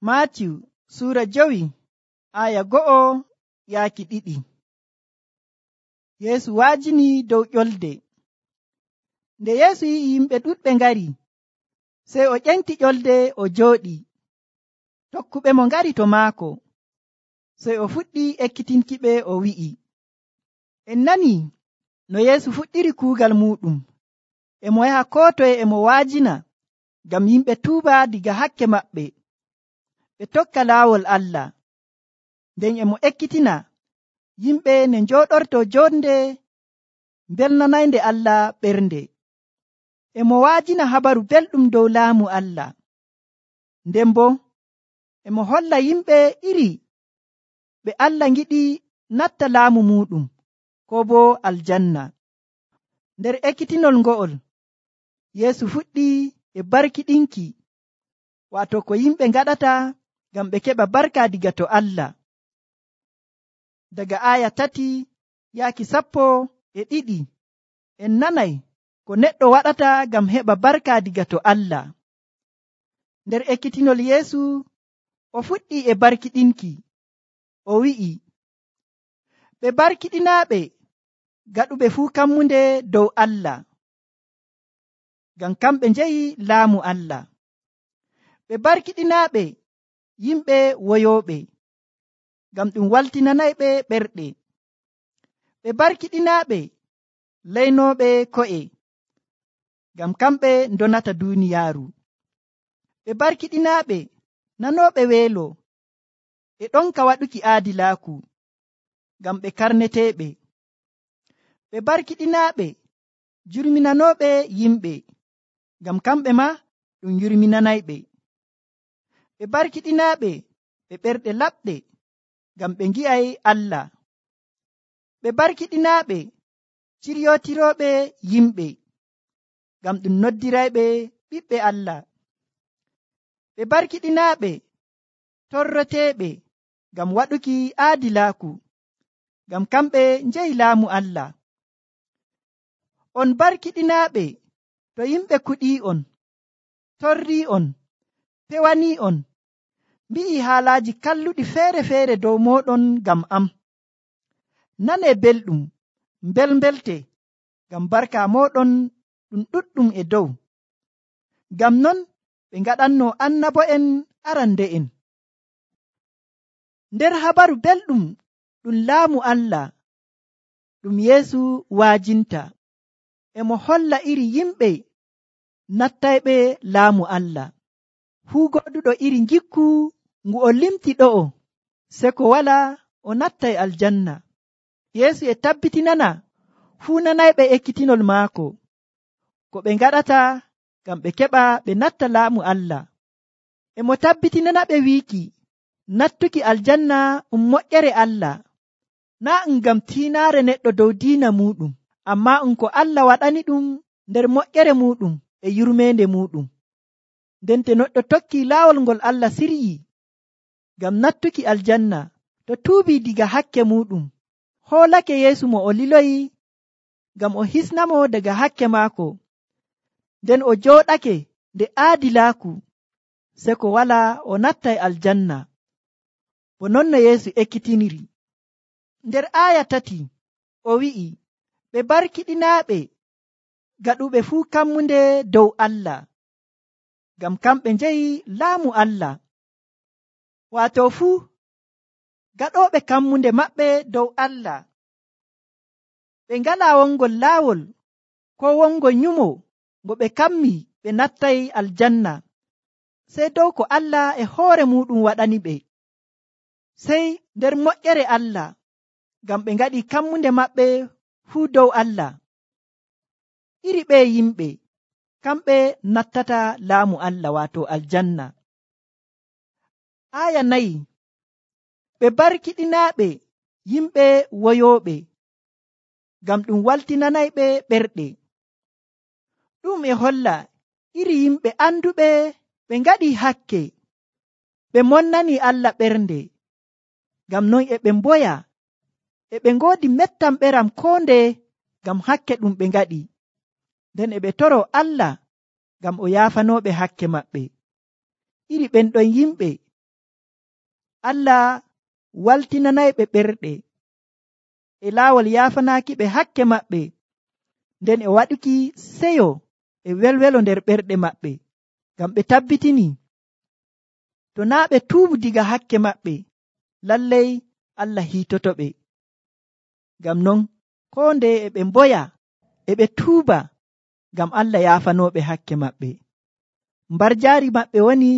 Maatiyu suura 5 aya 1-2. Yeesu waajini dow ƴolde. Nde Yeesu yi'i yimɓe ɗuɗɓe ngari, sey o ƴenti ƴolde o jooɗi. Tokkuɓe mo ngari to maako, sey o fuɗɗi ekkitinkiɓe o wi'i, en nani no Yeesu fuɗɗiri kuugal muɗum. E mo yaha koo toye e mo waajina ngam yimɓe tuuba diga hakke maɓɓe, ɓe tokka laawol Allah. Nden e mo ekkitina yimɓe ne njooɗorto jonde belnanaynde Allah ɓernde. E mo waajina habaru belɗum dow laamu Allah. Nden bo e mo holla yimɓe iri ɓe Allah ngiɗi natta laamu muɗum, ko bo aljanna. Nder ekkitinol ngo'ol, Yeesu fuɗɗi e barkiɗinki, waato ko yimɓe ngaɗata ngam ɓe keɓa barka diga to Allah. Daga aya 3-12 en nanay ko neɗɗo waɗata ngam heɓa barka diga to Allah. Nder ekkitinol Yeesu o fuɗɗi e barkiɗinki, o wi'i, ɓe barkiɗinaaɓe gaɗuɓe fuu kammunde dow Allah, ngam kamɓe njeyi laamu Allah. Ɓe barkiɗinaaɓe yimɓe woyooɓe, ngam ɗum waltinanayɓe ɓerɗe. Ɓe barkiɗinaaɓe laynooɓe ko'e, ngam kamɓe ndonata duuniyaaru. Ɓe barkiɗinaaɓe nanooɓe weelo, e ɗonka waɗuki aadilaaku, ngam ɓe karneteeɓe. Ɓe barkiɗinaaɓe jurminanooɓe yimɓe, ngam kamɓe ma ɗum yurminanayɓe. Ɓe barkiɗinaaɓe ɓe ɓerɗe laɓɗe, ngam ɓe ngi'ay Allah. Ɓe barkiɗinaaɓe ciryootirooɓe yimɓe, ngam ɗum noddirayɓe ɓiɓɓe Allah. Ɓe barkiɗinaaɓe torroteeɓe ngam waɗuki aadilaaku, ngam kamɓe njeyi laamu Allah. On barkiɗinaaɓe to yimɓe kuɗii'on, torrii'on, pewanii'on, mbi'i haalaaji kalluɗi feere-feere dow mooɗon ngam am. Nanee belɗum, mbelmbelte, ngam barka mooɗon ɗum ɗuɗɗum e dow. Ngam non ɓe ngaɗannoo annabo'en arande'en. Nder habaru belɗum ɗum laamu Allah ɗum Yeesu waajinta, e mo holla iri yimɓe nattayɓe laamu Allah. Fuu goɗɗuɗo iri ngikku ngu o limti ɗo'o, seko walaa o nattay aljanna. Yeesu e tabbitinana fuu nanayɓe ekkitinol maako ko ɓe ngaɗata ngam ɓe keɓa ɓe natta laamu Allah. E mo tabbitinana ɓe wiiki nattuki aljanna moƴƴere Allah, naa ngam tiinaare neɗɗo dow diina muɗum, ammaa ko Allah waɗani ɗum nder moƴƴere muɗum e yurmeende muɗum. Nden to neɗɗo tokki laawol ngol Allah siryi ngam nattuki aljanna, to tuubii diga hakke muɗum, hoolake Yeesu mo o liloyi ngam o hisnamo daga hakke maako, nden o jooɗake nde aadilaaku, seko walaa o nattay aljanna. Bo non no Yeesu ekkitiniri. Nder aya 3 o wi'i, ɓe barkiɗinaaɓe gaɗuɓe fuu kammunde dow Allah, ngam kamɓe njeyi laamu Allah. Waato fuu gaɗooɓe kammunde maɓɓe dow Allah, ɓe ngalaa wongol laawol ko wongol nyumo ngo ɓe kammi ɓe nattay aljanna, sey dow ko Allah e hoore muɗum waɗani ɓe. Sey nder moƴƴere Allah, ngam ɓe ngaɗi kammunde maɓɓe fuu dow Allah. Iri ɓe yimɓe kamɓe nattata laamu Allah, waato aljanna. Aya 4, ɓe barkiɗinaaɓe yimɓe woyooɓe, ngam ɗum waltinanayɓe ɓerɗe. Ɗum e holla iri yimɓe anduɓe ɓe ngaɗi hakke, ɓe monnani Allah ɓernde, ngam non e ɓe mboya, e ɓe ngoodi mettamɓeram koo ndeye ngam hakke ɗum ɓe ngaɗi. Nden e ɓe toro Allah ngam o yaafanooɓe hakke maɓɓe. Iri ɓen ɗon yimɓe Allah waltinanayɓe ɓerɗe e laawol yaafanaaki ɓe hakke maɓɓe, nden e waɗuki seyo e welwelo nder ɓerɗe maɓɓe, ngam ɓe tabbitini to naa ɓe tuubu diga hakke maɓɓe, lallay Allah hiitoto ɓe. Ngam non koo ndeye e ɓe mboya e ɓe tuuba, ngam Allah yaafanooɓe hakke maɓɓe. Mbarjaari maɓɓe woni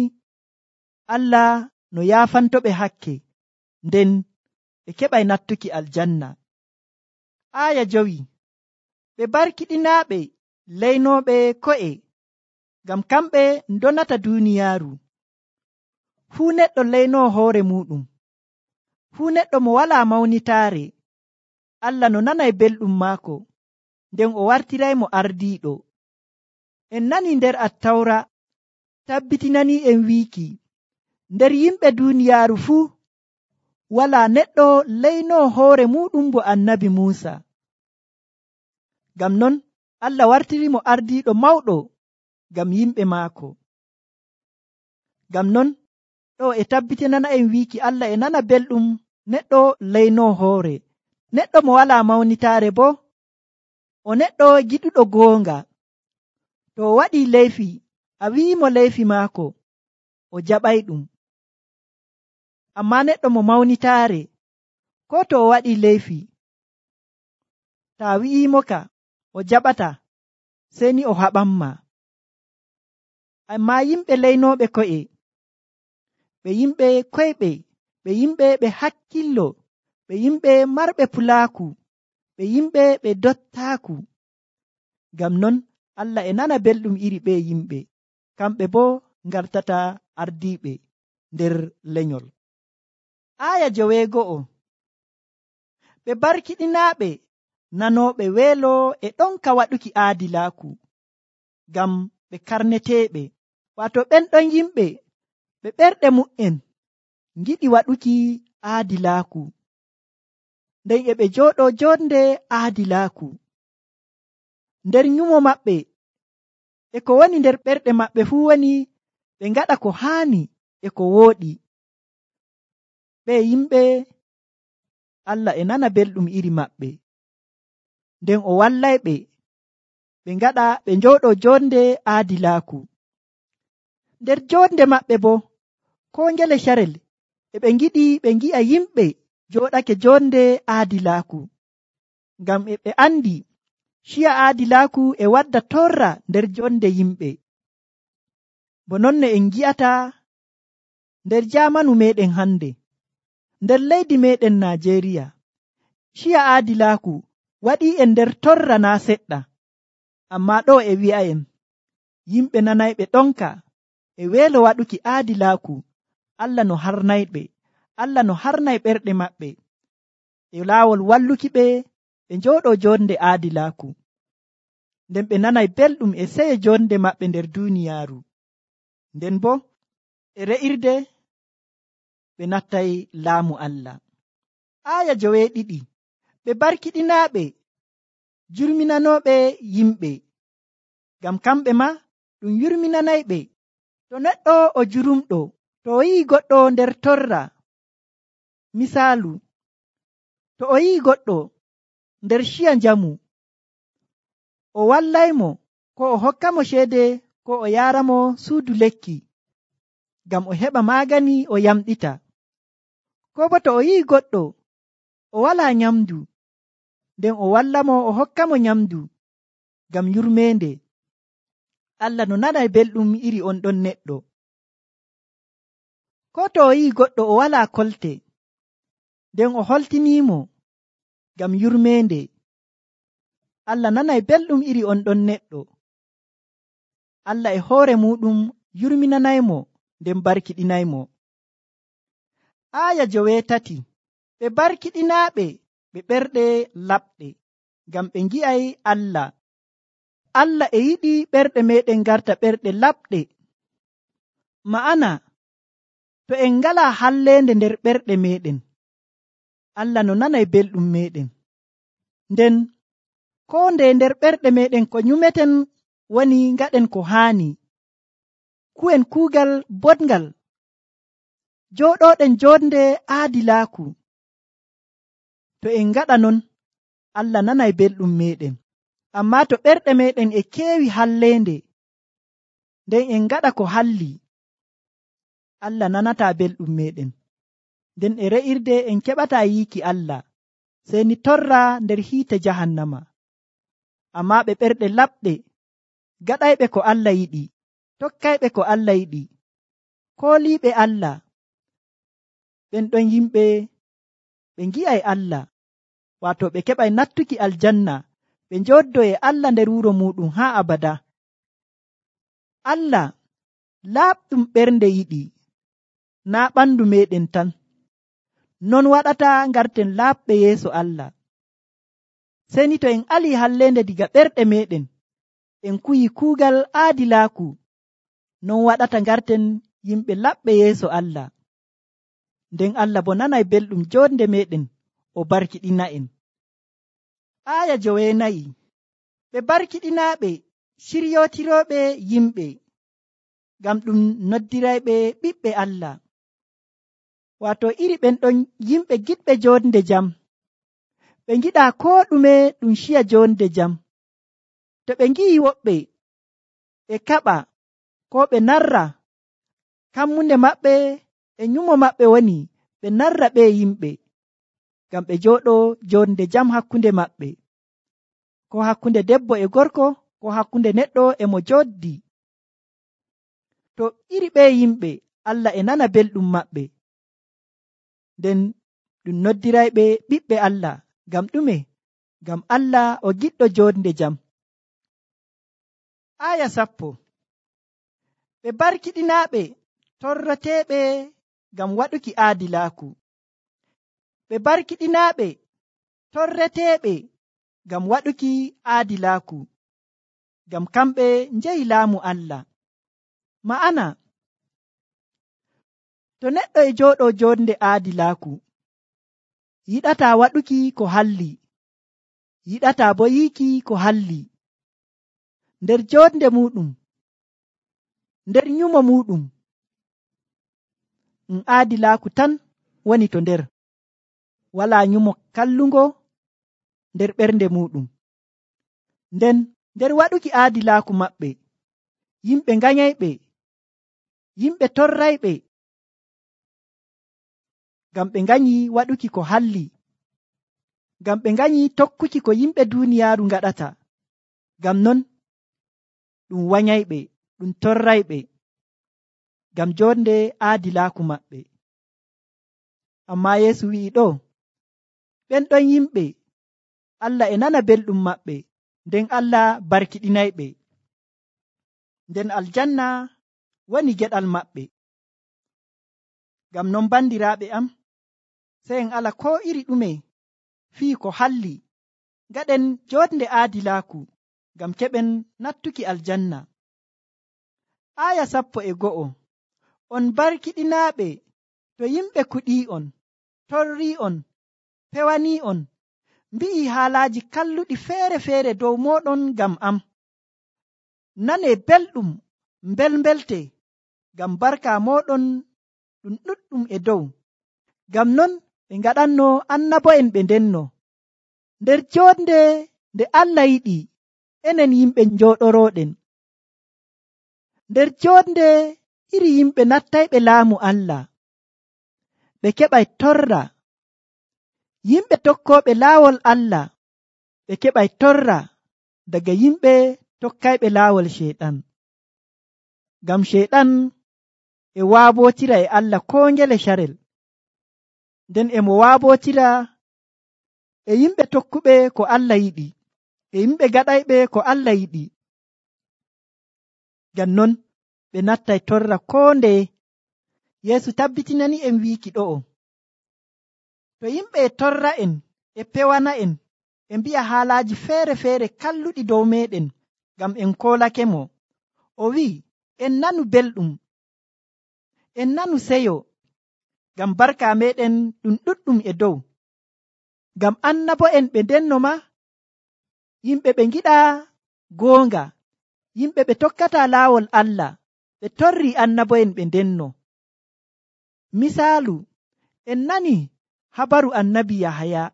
Allah no yaafantoɓe hakke, nden ɓe keɓay nattuki aljanna. Aaya 5. Ɓe barkiɗinaaɓe leynooɓe ko'e, ngam kamɓe ndonata duuniyaaru. Fuu neɗɗo leynoo hoore muuɗum. Fuu neɗɗo mo walaa mawnitaare, Allah no nanay belɗum maako, nden o wartiraymo ardiiɗo. En nani nder Attawra tabbitinanii en wiiki, nder yimɓe duuniyaaru fuu walaa neɗɗo leynoo hoore muuɗum bo annabi Muusa. Ngam non Allah wartirimo ardiiɗo mawɗo ngam yimɓe maako. Ngam non ɗo e tabbitinana en wiiki Allah e nana belɗum neɗɗo leynoo hoore. Neɗɗo mo walaa mawnitaare bo o neɗɗo giɗuɗo goonga. To o waɗii leyfi, a wi'imo leyfi maako, o jaɓayɗum. Ammaa neɗɗo mo mawnitaare, koo to o waɗii leyfi, taa wi'imo ka o jaɓata, sey ni o haɓanma. Ammaa yimɓe leynooɓe ko'e, ɓe yimɓe koyɓe, ɓe yimɓe ɓe hakkillo, ɓe yimɓe marɓe pulaaku, ɓe yimɓe ɓe dottaaku. Ngam non Allah e nana belɗum iri ɓe yimɓe, kamɓe boo ngartata ardiiɓe nder lenyol. Aaya 9. Ɓe barkiɗinaaɓe nanooɓe weelo e ɗonka waɗuki aadilaaku, ngam ɓe karneteeɓe. Waato ɓen ɗon yimɓe ɓe ɓerɗe mu'en ngiɗi waɗuki aadilaaku, nden e ɓe jooɗoo joonde aadilaaku. Nder nyumo maɓɓe e ko woni nder ɓerɗe maɓɓe fuu woni ɓe ngaɗa ko haani e ko wooɗi. Ɓe yimɓe Allah e nana belɗum iri maɓɓe, nden o wallayɓe ɓe ngaɗa ɓe njooɗoo joonde aadilaaku. Nder joonde maɓɓe boo koo ngele carel e ɓe ngiɗi ɓe ngi'a yimɓe jooɗake joonde aadilaaku, ngam e ɓe andi ciya aadilaaku e wadda torra nder joonde yimɓe. Bo non no en ngi'ata nder jaamanu meeɗen hannde, nder leydi meeɗen Naajeeriya, ciya aadilaaku waɗii en nder torra naa seɗɗa. Ammaa ɗo e wi'a'en yimɓe nanayɓe ɗonka e weelo waɗuki aadilaaku, Allah no harnayɓe, Allah no harnay ɓerɗe maɓɓe e laawol walluki ɓe ɓe njooɗoo joonde aadilaaku, nden ɓe nanay belɗum e seye joonde maɓɓe nder duuniyaaru. Nden boo e re'irde ɓe nattay laamu Allah. Aaya 2. Ɓe barkiɗinaaɓe jurminanooɓe yimɓe, ngam kamɓe maa ɗum yurminanayɓe. To neɗɗo o jurumɗo, to o yi'i goɗɗo nder torra, misaalu, to o yi'i goɗɗo nder ciya njamu, o wallaymo, ko o hokkamo ceede, ko o yaaramo suudu lekki, ngam o heɓa maagani o yamɗita. Ko bo to o yi'i goɗɗo o walaa nyamdu, nden o wallamo o hokkamo nyamdu ngam yurmeende. Allah no nanay belɗum iri on ɗon neɗɗo. Ko to o yi'i goɗɗo o walaa kolte, nden o holtiniimo ngam yurmeende. Allah nanay belɗum iri on ɗon neɗɗo. Allah e hoore muɗum yurminanaymo nden barkiɗinaymo. Aaya 3. Ɓe barkiɗinaaɓe ɓe ɓerɗe laɓɗe, ngam ɓe ngi'ay Allah. Allah e yiɗi ɓerɗe meɗen garta ɓerɗe laɓɗe. Ma'ana, to en ngalaa halleende nder ɓerɗe meɗen, Allah no nanay belɗum meɗen. Nden koo nde nder ɓerɗe meɗen ko nyumeten woni ngaɗen ko haani, ku'en kuugal boɗngal, jooɗoɗen jonde aadilaaku. To en ngaɗa non, Allah nanay belɗum meɗen. Ammaa to ɓerɗe meɗen e keewi halleende, nden en ngaɗa ko halli, Allah nanata belɗum meɗen. Nden e re'irde en keɓata yiiki Allah, sey ni torra nder hiite jahannama. Ammaa ɓe ɓerɗe laɓɗe, gaɗayɓe ko Allah yiɗi, tokkayɓe ko Allah yiɗi, kooliiɓe Allah, ɓen ɗon yimɓe ɓe ngi'ay Allah, waato ɓe keɓay nattuki aljanna, ɓe njooddoo e Allah nder wuro muɗum haa abada. Allah laaɓɗum ɓernde yiɗi, naa ɓandu meɗen tan. Non waɗata ngarten laaɓɓe yeeso Allah. Sey ni to en alii halleende diga ɓerɗe meɗen, en kuyi kuugal aadilaaku, non waɗata ngarten yimɓe laɓɓe yeeso Allah. Nden Allah bo nanay belɗum jonde meɗen, o barkiɗina'en. Aaya 9. Ɓe barkiɗinaaɓe ciryootirooɓe yimɓe, ngam ɗum noddirayɓe ɓiɓɓe Allah. Waato iri ɓen ɗon yimɓe giɗɓe jonde jam, ɓe ngiɗa koo ɗume ɗum ciya jonde jam. To ɓe ngi'i woɓɓe e kaɓa koo ɓe narra, kammunde maɓɓe e nyumo maɓɓe woni ɓe narra ɓe yimɓe, ngam ɓe jooɗoo jonde jam hakkunde maɓɓe, ko hakkunde debbo e gorko, ko hakkunde neɗɗo e mo joddi. To iri ɓe yimɓe, Allah e nana belɗum maɓɓe, nden ɗum noddirayɓe ɓiɓɓe Allah. Ngam ɗume? Ngam Allah o giɗɗo jonde jam. Aaya 10. Ɓe barkiɗinaaɓe torrateeɓe ngam waɗuki aadilaaku. Ɓe barkiɗinaaɓe torreteeɓe ngam waɗuki aadilaaku, ngam kamɓe njehi laamu Allah. Ma'ana, to neɗɗo e jooɗoo jonde aadilaaku, yiɗataa waɗuki ko halli, yiɗataa bo yiiki ko halli, nder jonde muɗum, nder nyumo muɗum, aadilaaku tan woni to nder, walaa nyumo kallungo nder ɓernde muɗum. Nden nder waɗuki aadilaaku maɓɓe, yimɓe nganyayɓe, yimɓe torrayɓe, ngam ɓe nganyi waɗuki ko halli, ngam ɓe nganyi tokkuki ko yimɓe duuniyaaru ngaɗata. Ngam non ɗum wanyayɓe, ɗum torrayɓe, ngam jonde aadilaaku maɓɓe. Ammaa Yeesu wi'i ɗo, ɓen ɗon yimɓe Allah e nana belɗum maɓɓe, nden Allah barkiɗinayɓe, nden aljanna woni geɗal maɓɓe. Ngam non bandiraaɓe am, sey en ala koo iri ɗume fii ko halli, ngaɗen jonde aadilaaku, ngam keɓen nattuki aljanna. Aaya 11. On barkiɗinaaɓe to yimɓe kuɗii'on, torrii'on, pewanii'on, mbi'ii haalaaji kalluɗi feere-feere dow mooɗon ngam am. Nanee belɗum mbelmbelte, ngam barka mooɗon ɗum ɗuɗɗum e dow. Ngam non ɓe ngaɗanno annabo'en ɓe ndenno. Nder jonde nde Allah yiɗi, enen yimɓe njooɗorooɗen. Nder jonde iri yimɓe nattayɓe laamu Allah, ɓe keɓay torra. Yimɓe tokkooɓe laawol Allah, ɓe keɓay torra daga yimɓe tokkayɓe laawol Ceyɗan. Ngam Ceyɗan e waabootira e Allah koo ngele carel, nden e mo waabootira e yimɓe tokkuɓe ko Allah yiɗi, e yimɓe gaɗayɓe ko Allah yiɗi. Ngam non ɓe nattay torra koo ndeye. Yeesu tabbitinani en wiiki ɗo'o, to yimɓe e torra en, e pewana en, e mbi'a haalaaji feere-feere kalluɗi dow meɗen, ngam en koolake mo, o wi'i, en nanu belɗum, en nanu seyo, ngam barka meɗen ɗum ɗuɗɗum e dow. Ngam annabo'en ɓe ndenno ma, yimɓe ɓe ngiɗa goonga, yimɓe ɓe tokkata laawol Allah, ɓe torri annabo'en ɓe ndenno. Misaalu, en nani habaru annabi Yahaya,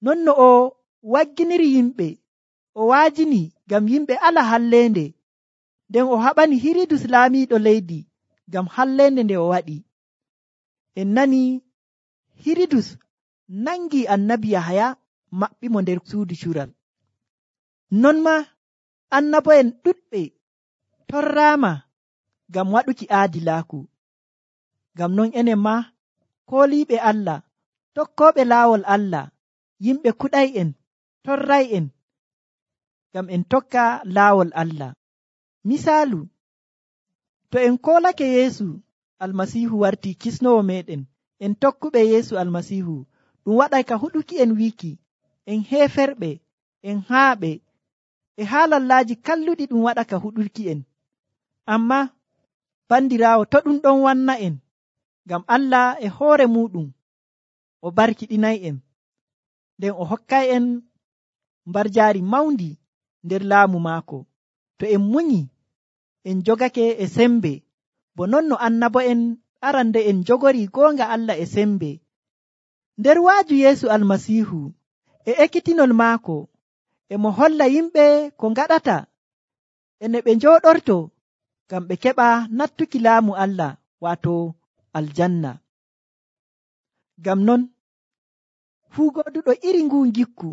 non no o wagginiri yimɓe, o waajini ngam yimɓe ala halleende, nden o haɓani Hiridus laamiiɗo leydi ngam halleende nde o waɗi. En nani Hiridus nangi annabi Yahaya maɓɓimo nder suudu cural. Non ma annabo'en ɗuɗɓe torraama ngam waɗuki aadilaaku. Ngam non enen ma kooliiɓe Allah, tokkooɓe laawol Allah, yimɓe kuɗay'en, torray'en, ngam en tokka laawol Allah. Misaalu, to en koolake Yeesu Almasiihu wartii kisnowo meɗen, en tokkuɓe Yeesu Almasiihu, ɗum waɗay ka huɗuki en wiiki en heeferɓe, en haaɓe, e haalallaaji kalluɗi ɗum waɗa ka huɗurki en. Amma bandiraawo, to ɗum ɗon wanna en, ngam Allah e hoore muɗum o barkiɗinay'en, nden o hokkay'en mbarjaari mawndi nder laamu maako. To en munyi, en jogake e sembe, bo non no annabo'en arande en jogori goonga Allah e sembe. Nder waaju Yeesu Almasiihu e ekkitinol maako, e mo holla yimɓe ko ngaɗata ene ɓe njooɗorto ngam ɓe keɓa nattuki laamu Allah, waato aljanna. Ngam non fuu goɗuɗo iri ngun gikku,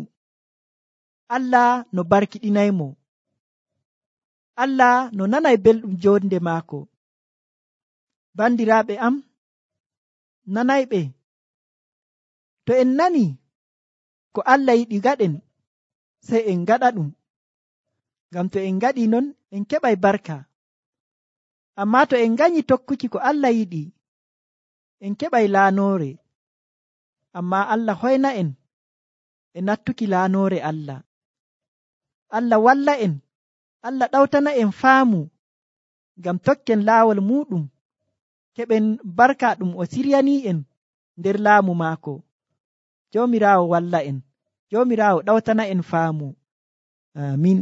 Allah no barkiɗinaymo, Allah no nanay belɗum jonde maako. Bandiraaɓe am nanayɓe, to en nani ko Allah yiɗi gaɗen, sey en gaɗa ɗum, ngam to en gaɗi non en keɓay barka. Amma to en ganyi tokkuki ko Allah yiɗi, en keɓay laanoore. Amma Allah hoyna en e nattuki laanoore Allah. Allah walla en, Allah ɗawtana en faamu ngam tokken laawol muɗum, keɓen barka ɗum o siryani en nder laamu maako. Joomiraawo walla en, Joomiraawo ɗawtana en faamu. Amin.